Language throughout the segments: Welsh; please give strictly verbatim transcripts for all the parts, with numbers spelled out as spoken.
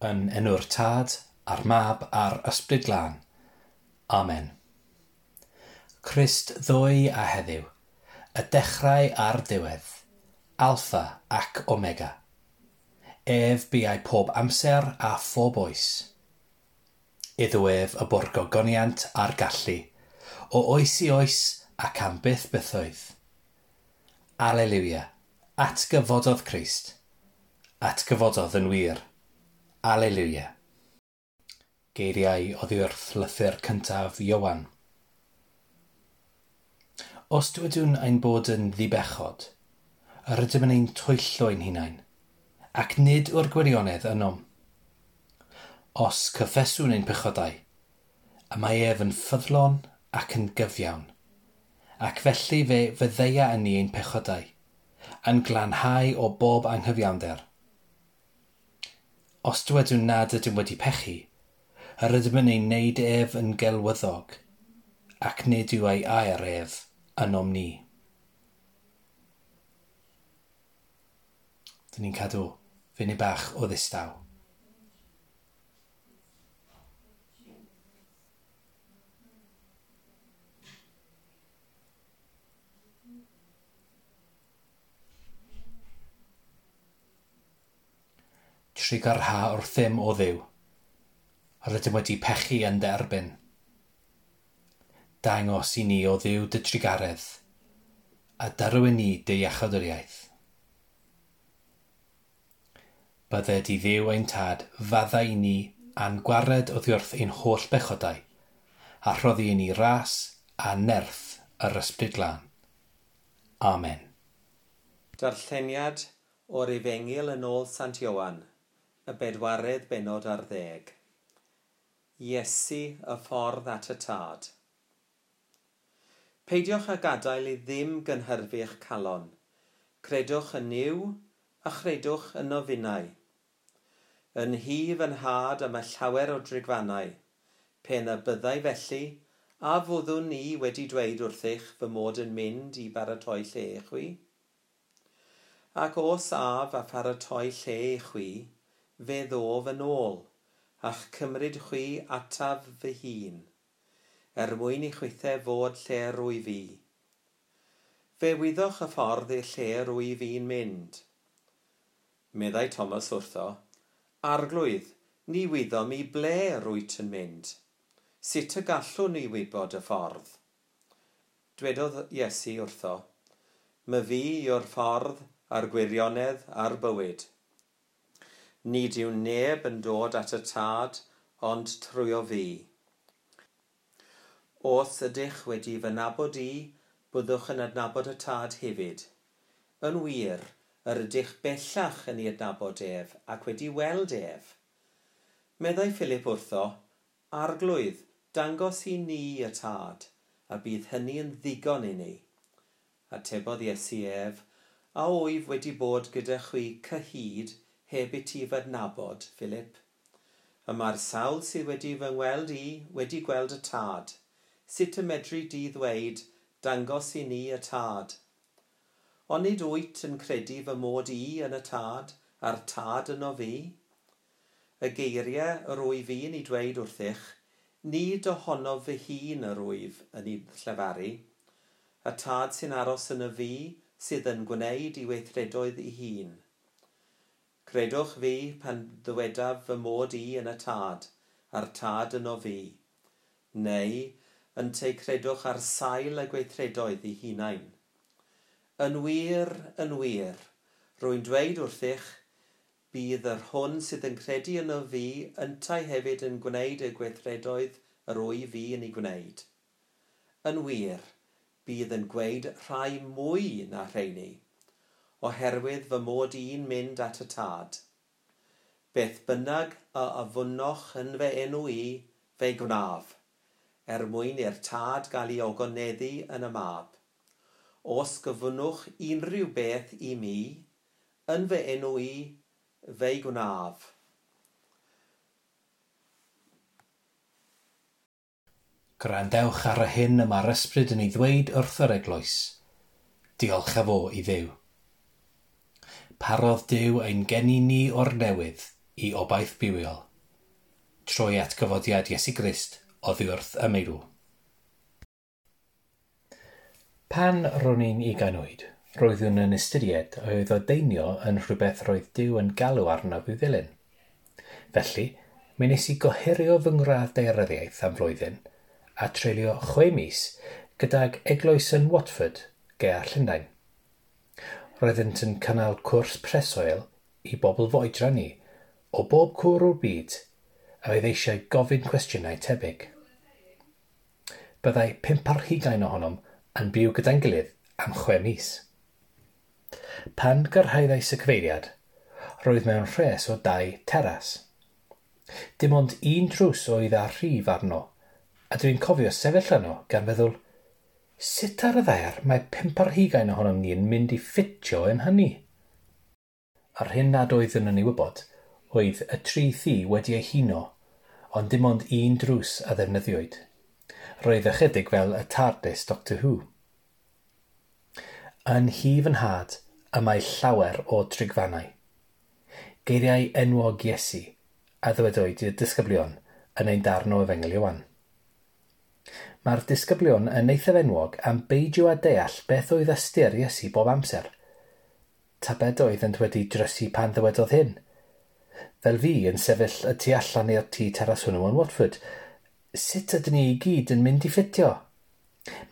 Yn enw'r Tad, a'r Mab, a'r Ysbryd Glân. Amen. Crist ddoe a heddiw, y dechrau a'r diwedd, Alpha ac Omega. Ef biau pob amser a phob oes. Iddo ef y bo'r gogoniant a'r gallu, o oes i oes ac am byth bythoedd. Alleluia, atgyfododd Crist. Atgyfododd yn wir. Alleluia. Geiriau oddi wrth lythyr cyntaf Ioan. Os dywedwn ein bod yn ddibechod, yr ydym yn ein twyllo ein hunain, ac nid yw'r gwirionedd ynom. Os cyffeswn ein pechodau, y mae ef yn ffyddlon ac yn gyfiawn, ac felly fe fyddeia yn ni ein pechodau, yn glanhau o bob anghyfiawnder. Os dywedwn nad ydym wedi pechu, yr ydym yn ei wneud ef yn gelwyddog, ac nid yw ei air ef ynom ni. Dyn ni'n cadw funud bach o ddistaw. Trugarha wrthym o Dduw, rydym wedi pechu yn dy erbyn. Dangos i ni o Dduw dy trugaredd, a darw i ni dy iachawdwriaeth. Bydded i Dduw ein tad faddau i ni a'n gwared oddi wrth ein holl bechodau, a rhoddi i ni ras a nerth yr Ysbryd Glân. Amen. Darlleniad o'r Efengyl yn ôl Sant Ioan, y bedwaredd bennod ar ddeg. Iesu, y ffordd at y Tad. Peidiwch â gadael i ddim gynhyrfu eich calon. Credwch yn Nuw a chredwch yno finnau. Yn nhŷ fy nhad y mae llawer o drigfannau. Pe na byddai felly, a fyddwn ni wedi dweud wrthych fy mod yn mynd i baratoi lle i chwi? Ac os af a pharatoi lle i chwi, fe ddof yn ôl, a'ch cymryd chwi ataf fy hun, er mwyn i chwithau fod lle rwyf fi. Fe wyddoch y ffordd i'r lle rwyf fi'n mynd. Meddai Thomas wrtho, Arglwydd, ni wyddom i ble rwyt yn mynd. Sut y gallwn ni wybod y ffordd? Dwedodd Iesu wrtho, My fi yw'r ffordd a'r gwirionedd a'r bywyd. Nid yw neb yn dod at y Tad ond trwyo fi. Os ydych wedi fy nabod i, byddwch yn adnabod y Tad hefyd. Yn wir, yr ydych bellach yn ei adnabod ef ac wedi weld ef. Meddai Philip wrtho, Arglwydd, dangos i ni y Tad, a bydd hynny yn ddigon i ni. Atebodd Iesu ef, a wyf wedi bod gyda chwi cyhyd heb i ti fy adnabod, Philip? Y mae'r sawl sydd wedi fy ngweld i wedi gweld y Tad. Sut y medri di ddweud, dangos i ni y Tad? Onid wyt yn credu fy mod i yn y Tad, a'r Tad yno fi? Y geiriau yr wyf fi'n ei dweud wrthych, nid ohonof fy hun yr wyf yn ei llefaru. Y Tad sy'n aros yn y fi sydd yn gwneud ei weithredoedd ei hun. Credwch fi pan ddywedaf fy mod i yn y Tad, a'r Tad yno fi. Neu, ynteu credwch ar sail y gweithredoedd ei hunain. Yn wir, yn wir, rwy'n dweud wrthych, bydd yr hwn sydd yn credu yno fi yntau hefyd yn gwneud y gweithredoedd yr wyf fi yn ei gwneud. Yn wir, bydd yn gweud rhai mwy na rheini, oherwydd fy mod i'n mynd at y Tad. Beth bynnag a ofynnoch yn fy enw i, fe'i gwnaf, er mwyn i'r Tad gael ei ogoneddu yn y Mab. Os gofynnwch unrhyw beth i mi, yn fy enw i, fe'i gwnaf. Gwrandewch ar y hyn y mae'r Ysbryd yn ei ddweud wrth yr eglwys. Diolch a fo i Dduw. Parodd Duw ein geni ni o'r newydd i obaith bywiol, trwy atgyfodiad Iesu Grist oddi wrth y meirw. Pan ro'n i'n ugain oed, roeddwn yn ystyried a oedd ordeinio yn rhywbeth roedd Duw yn galw arnaf i'w ddilyn. Felly, mi wnes i gohirio fy ngradd daearyddiaeth am flwyddyn a treulio chwe mis gydag eglwys yn Watford, ger Llundain. Roeddent yn cynnal cwrs preswyl i bobl fy oedran i o bob cwr o'r byd a oedd eisiau gofyn cwestiynau tebyg. Byddai pump ar hugain ohonom yn byw gyda'n gilydd am chwe mis. Pan gyrhaeddais y cyfeiriad, roedd mewn rhes o dai teras. Dim ond un drws oedd â rhif arno, a dwi'n cofio sefyll yno gan feddwl, sut ar y ddaear mae pump ar hugain ohonom ni yn mynd i ffitio yn hynny? Yr hyn nad oeddwn yn ei wybod oedd y tri thŷ wedi eu huno, ond dim ond un drws a ddefnyddiwyd. Roedd ychydig fel y TARDIS Doctor Who. Yn nhŷ fy nhad y mae llawer o drigfannau. Geiriau enwog Iesu a ddywedwyd i'r disgyblion yn ein darn o Efengyl Ioan. Mae'r disgyblion yn eithaf enwog am beidio â deall beth oedd ystyr Iesu bob amser. Tybed oeddent wedi drysu pan ddywedodd hyn? Fel fi yn sefyll y tu allan i'r tŷ teras hwnnw yn Watford, sut ydyn ni i gyd yn mynd i ffitio?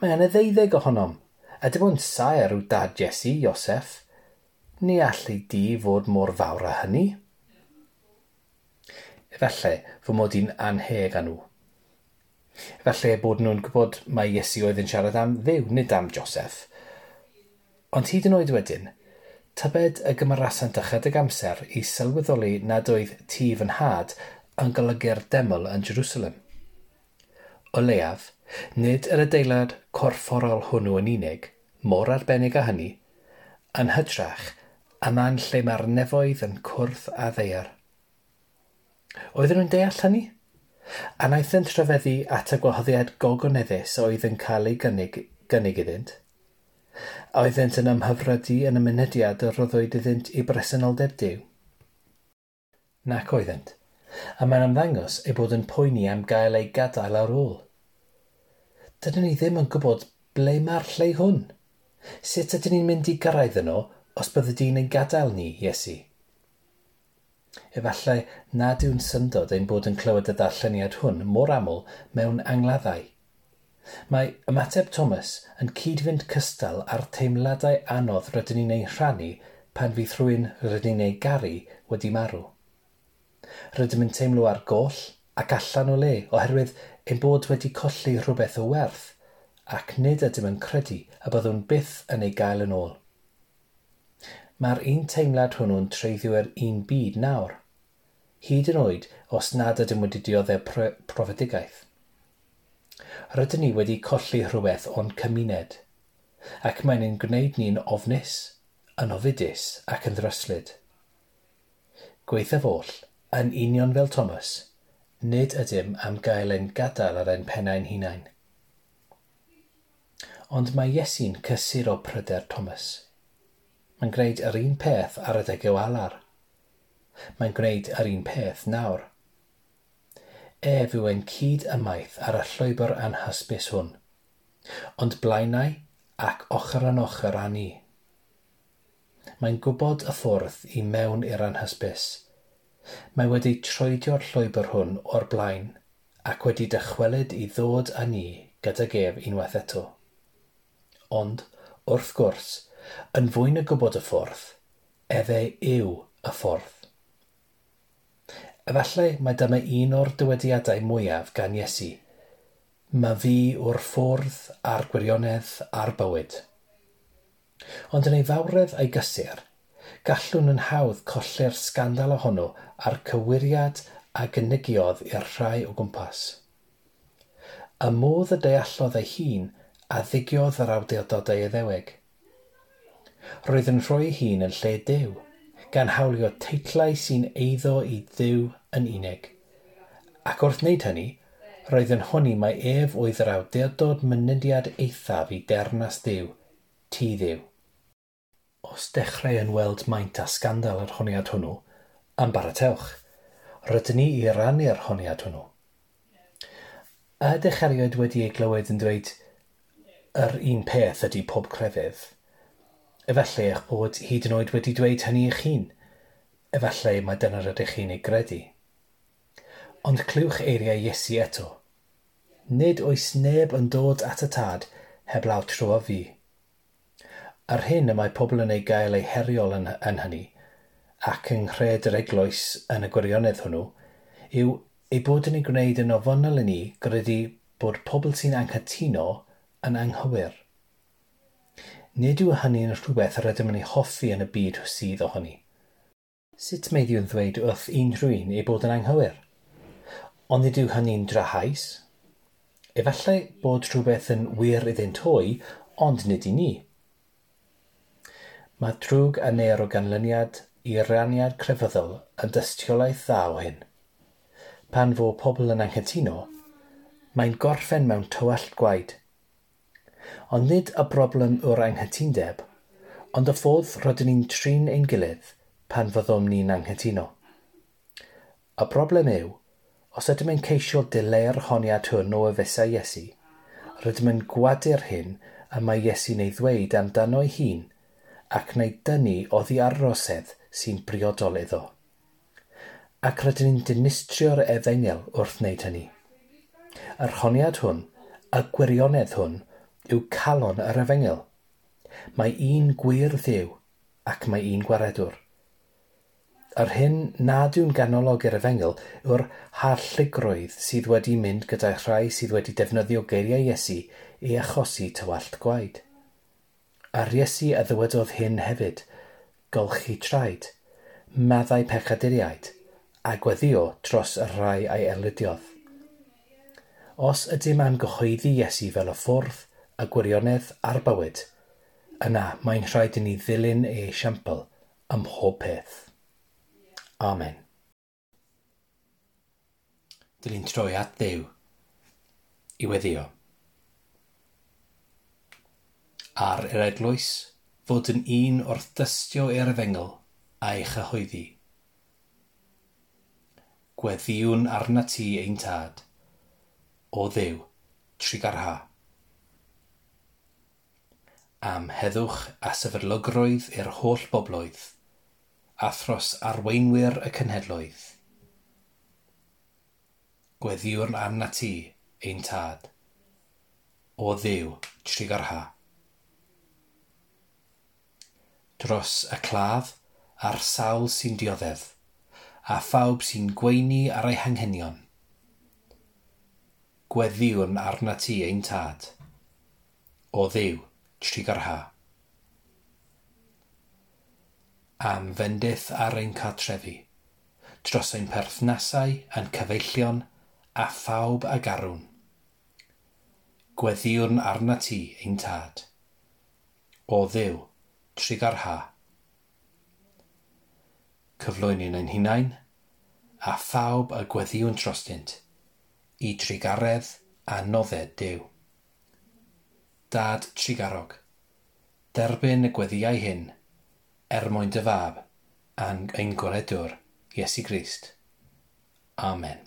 Mae yna ddeuddeg ohonom, a dim ond saer yw dad Iesu, Iosef. Ni all ei dŷ fod mor fawr â hynny. Efallai fy mod i'n annheg â nhw. Efallai bod nhw'n gwybod mai Iesu oedd yn siarad am Dduw, nid am Joseph. Ond hyd yn oed wedyn, tybed y gymerasant ychydig amser i sylweddoli nad oedd tŷ fy nhad yn golygu'r deml yn Jerusalem. O leiaf, nid yr adeilad corfforol hwnnw yn unig, mor arbennig â hynny, yn hytrach, y man lle mae'r nefoedd yn cwrdd â ddaear. Oedden nhw'n deall hynny? A wnaethant rhyfeddu at y gwahoddiad gogoneddus oedd yn cael ei gynnig, gynnig iddynt? A oeddent yn ymhyfrydu yn y mynediad y roddwyd iddynt i bresenoldeb Duw? Nac oeddent, a mae'n ymddangos eu bod yn poeni am gael eu gadael ar ôl. Dydyn ni ddim yn gwybod ble mae'r lle hwn. Sut ydyn ni'n mynd i gyrraedd yno os byddi di'n ein gadael ni, Iesu? Efallai nad yw'n syndod ein bod yn clywed y darlleniad hwn mor aml mewn angladdau. Mae ymateb Thomas yn cyd-fynd cystal â'r teimladau anodd rydyn ni'n eu rhannu pan fydd rhywun rydyn ni'n ei garu wedi marw. Rydym yn teimlo ar goll ac allan o le oherwydd ein bod wedi colli rhywbeth o werth ac nid ydym yn credu y byddwn byth yn ei gael yn ôl. Mae'r un teimlad hwnnw'n treiddio i'r un byd nawr, hyd yn oed os nad ydym wedi dioddef profedigaeth. Rydyn ni wedi colli rhywbeth o'n cymuned, ac mae'n ein gwneud ni'n ofnus, yn ofidus ac yn ddryslyd. Gwaethaf oll, yn union fel Thomas, nid ydym am gael ein gadael ar ein pennau'n hunain. Ond mae Iesu'n cysuro pryder Thomas. Mae'n gwneud yr un peth ar adeg o alar. Mae'n gwneud yr un peth nawr. Ef yw ein cyd ymaith ar y llwybr anhysbys hwn, ond blaenau ac ochr yn ochr â ni. Mae'n gwybod y ffordd i mewn i'r anhysbys. Mae wedi troedio'r llwybr hwn o'r blaen ac wedi dychwelyd i ddod â ni gydag ef unwaith eto. Ond, wrth gwrs, yn fwy na gwybod y ffordd, efe yw y ffordd. Efallai mai dyma un o'r dywediadau mwyaf gan Iesu. Mae fi yw'r ffordd a'r gwirionedd a'r bywyd. Ond yn ei fawredd a'i gysur, gallwn yn hawdd colli'r sgandal ohono a'r cywiriad a gynigiodd i'r rhai o gwmpas. Y modd y deallodd ei hun a ddigiodd yr awdurdodau Iddewig. Roedd yn rhoi ei hun yn lle Duw, gan hawlio teitlau sy'n eiddo i Dduw yn unig. Ac wrth wneud hynny, roedd yn honni mai ef oedd yr awdurdod mynediad eithaf i deyrnas Dduw, tŷ Dduw. Os dechrau yn weld maint a sgandal yr honiad hwnnw, ymbaratewch. Rydyn ni i rannu'r honiad hwnnw. Ydych erioed wedi ei glywed yn dweud yr un peth ydy pob crefydd? Efallai eich bod hyd yn oed wedi dweud hynny eich hun. Efallai mai dyna rydych chi'n ei gredu. Ond clywch eiriau Iesu eto. Nid oes neb yn dod at y Tad heblaw trwy fi. Yr hyn y mae pobl yn ei gael ei heriol yn, yn hynny, ac yng nghred yr eglwys yn y gwirionedd hwnnw, yw ei bod yn ei gwneud yn ofynnol i ni gredu bod pobl sy'n anghytuno yn anghywir. Nid yw hynny'n rhywbeth yr ydym yn ei hoffi yn y byd sydd ohoni. Sut meiddiwn ddweud wrth unrhyw un ei bod yn anghywir? Ond nid yw hynny'n drahaus. Efallai bod rhywbeth yn wir iddynt hwy, ond nid i ni. Mae drwg a neir o ganlyniad i raniad crefyddol yn dystiolaeth dda o hyn. Pan fo pobl yn anghytuno, mae'n gorffen mewn tywallt gwaed. Ond nid y broblem yw'r anghytundeb, ond y ffordd rydyn ni'n trin ein gilydd pan fyddwn ni'n anghytuno. Y broblem yw, os ydym yn ceisio dileu'r honiad hwn o efesau Iesu, rydym yn gwadu'r hyn y mae Iesu'n ei ddweud amdano'i hun ac wneud dynnu oddi ar rosedd sy'n briodol iddo. Ac rydyn ni'n dinistrio'r efengyl wrth wneud hynny. Yr honiad hwn, y gwirionedd hwn, yw calon yr efengyl. Mae un gwir Dduw ac mae un gwaredwr. Yr hyn nad yw'n ganolog i'r efengyl yw'r harlligrwydd sydd wedi mynd gyda rhai sydd wedi defnyddio geiriau Iesu i achosi tywallt gwaed. A'r Iesu a ddywedodd hyn hefyd, golchi traed, maddau pechaduriaid, a gweddio dros y rhai a'i erlidiodd. Os ydym am gyhoeddi Iesu fel y ffordd, y gwirionedd a'r bywyd, yna mae'n rhaid i ni ddilyn ei esiampl ym mhob peth. Amen. Dylwn troi at Dduw i weddio. Ar yr eglwys fod yn un wrth dystio i'r efengyl a'i chyhoeddi. Gweddiwn arnat ti ein Tad, o Dduw, trugarha. Am heddwch a sefydlogrwydd i'r holl bobloedd, a thros arweinwyr y cenhedloedd. Gweddiwn arnat ti ein Tad, o Dduw, trugarha. Dros y claf a'r sawl sy'n dioddef, a phawb sy'n gweini ar ei hanghenion. Gweddiwn arnat ti ein Tad, o Dduw, trugarha. Am fendith ar ein cartrefi, dros ein perthnasau a'n cyfeillion a phawb a garwn. Gweddiwn arnat ti ein Tad, o Dduw, trugarha. Cyflwynwn ein hunain, a phawb a gweddiwn drostynt, i trugaredd a nodded Duw. Dad trugarog, derbyn y gweddïau hyn, er mwyn dy fab, a'n ein gwaredwr, Iesu Grist. Amen.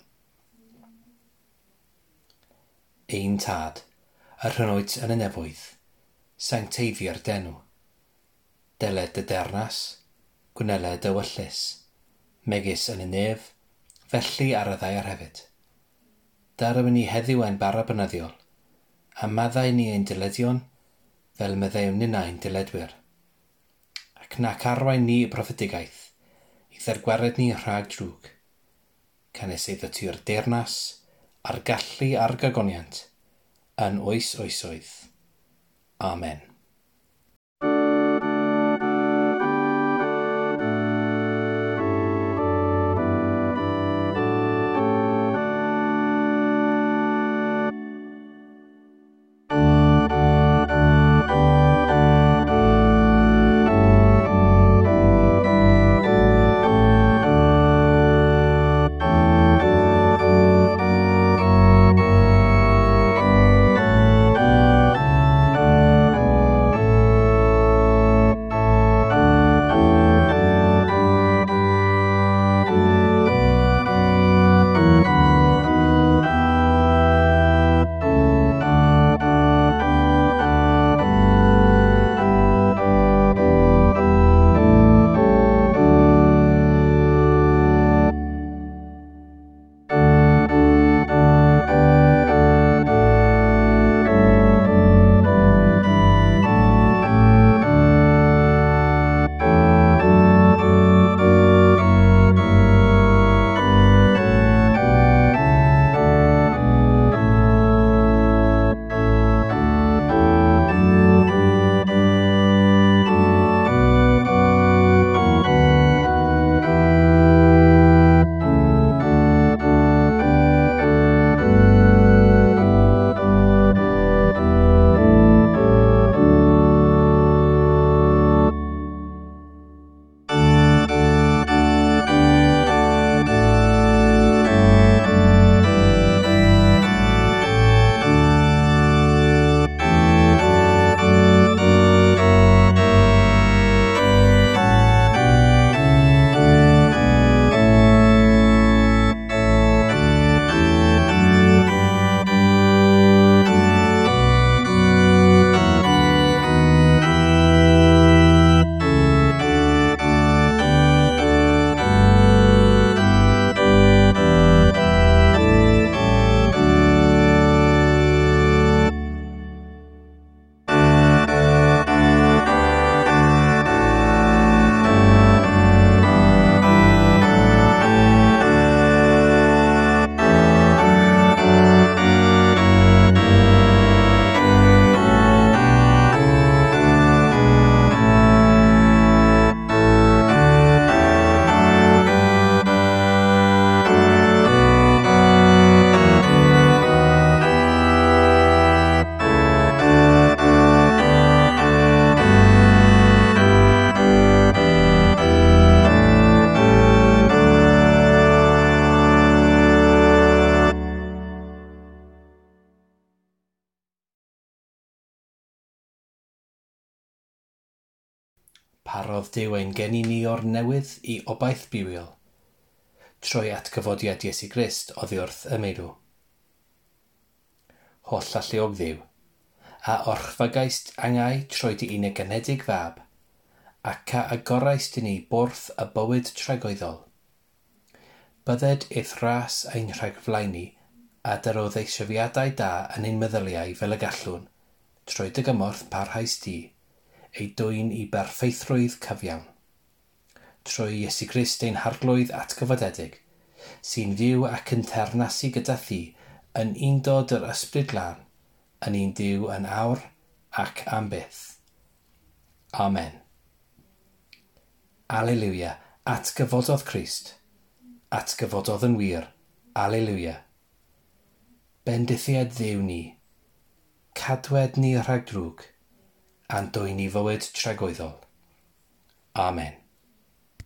Ein Tad, yr hyn wyt yn y nefoedd, sancteiddier d'enw. Deled dy deyrnas, gwneled dy ewyllys, megis yn y nef, felly ar y ddaear hefyd. Darw ni heddiw ein bara bynyddiol, a maddau ni ein dyledion, fel meddeuwn ninnau'n dyledwyr. Ac nac arwain ni i brofedigaeth, i ddergwared ni rhag drwg. Canys eiddo ti yw'r deyrnas, a'r gallu a'r gogoniant, yn oes oesoedd. Amen. Parodd Duw ein geni ni o'r newydd i obaith bywiol, trwy atgyfodiad Iesu Grist oddi wrth y meirw. Holl alluog Dduw, a orchfygaist angau trwy dy unig ganedig fab, ac a agoraist i ni borth y bywyd tragwyddol. Bydded i'th ras ein rhagflaenu a dyro ddeisyfiadau da yn ein meddyliau fel y gallwn, trwy dy gymorth parhaus di, ei dwyn i berffeithrwydd cyfiawn. Trwy Iesu Grist ein harglwydd atgyfodedig, sy'n fyw ac yn teyrnasu gyda thi yn undod yr ysbryd glân, yn un Duw yn awr ac am byth. Amen. Alleluia, atgyfododd Crist. Atgyfododd yn wir. Alleluia. Bendithied Dduw ni. Cadwed ni rhag drwg, a'n dwyn i fywyd tragwyddol. Amen.